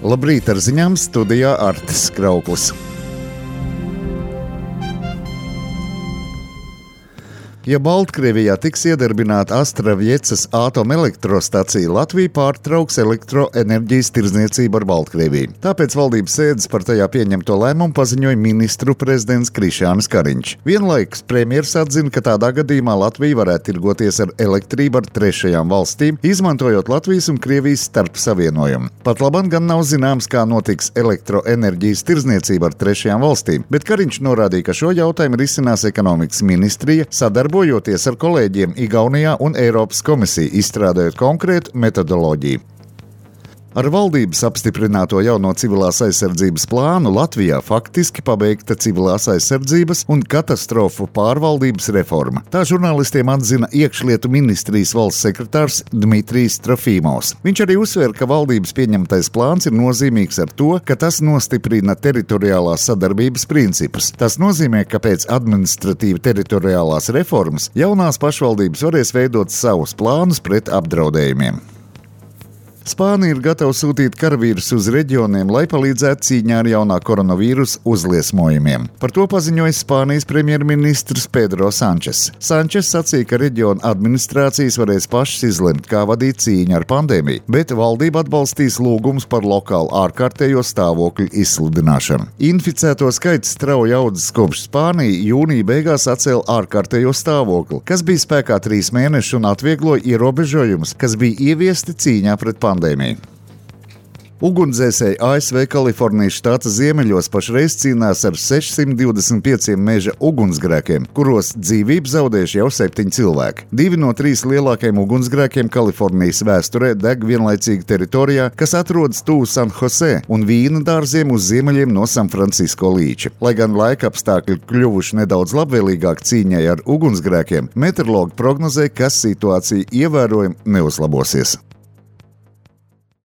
Labrīt, ar ziņām studijā Artis Krauklis. Ja Baltkrievijā tiks iedarbināta Astravjecas atomelektrostacija, Latvija pārtrauks elektroenerģijas tirdzniecību ar Baltkrieviju. Tāpēc valdības sēdes par tajā pieņemto lēmumu paziņoja ministru prezidents Krišjānis Kariņš. Vienlaikus premjers atzina, ka tādā gadījumā Latvija varētu tirgoties ar elektrību ar trešajām valstīm, izmantojot Latvijas un Krievijas starpsavienojumu. Pat labam gan nav zināms, kā notiks elektroenerģijas tirdzniecība ar trešajām valstīm, bet Kariņš norādīja, ka šo jautājumu risinās ekonomikas ministrija, sadarbojoties ar kolēģiem Igaunijā un Eiropas komisiju, izstrādājot konkrētu metodoloģiju. Ar valdības apstiprināto jauno civilās aizsardzības plānu Latvijā faktiski pabeigta civilās aizsardzības un katastrofu pārvaldības reforma. Tā žurnālistiem atzina iekšlietu ministrijas valsts sekretārs Dmitrijs Trofīmovs. Viņš arī uzsver, ka valdības pieņemtais plāns ir nozīmīgs ar to, ka tas nostiprina teritoriālās sadarbības principus. Tas nozīmē, ka pēc administratīva teritoriālās reformas jaunās pašvaldības varēs veidot savus plānus pret apdraudējumiem. Spānija ir gatava sūtīt karavīrus uz reģioniem, lai palīdzētu cīņā ar jaunā koronavīrusa uzliesmojumiem. Par to paziņoja Spānijas premjerministrs Pedro Sančes. Sančes sacīja, ka reģiona administrācijas varēs pašas izlemt, kā vadīt cīņu ar pandēmiju, bet valdība atbalstīs lūgumus par lokālu ārkārtējo stāvokļu izsludināšanu. Inficēto skaits strauji audzis kopš Spānija jūnija beigās atcēla ārkārtējo stāvokli, kas bija spēkā 3 mēnešus un atviegloja ierobežojumus, kas bija ieviesti cīņā pret pandēmiju. Ugunsdzēsēji ASV Kalifornijas štata ziemeļos pašreiz cīnās ar 625 meža ugunsgrēkiem, kuros dzīvību zaudējuši jau 7 cilvēki. 2 no 3 lielākajiem ugunsgrēkiem Kalifornijas vēsturē deg vienlaicīgi teritorijā, kas atrodas tuvu San Jose un vīna dārziem uz ziemeļiem no San Francisco līča. Lai gan laika apstākļi kļuvuši nedaudz labvēlīgāk cīņai ar ugunsgrēkiem, meteorologi prognozē, ka situācija ievērojami neuzlabosies.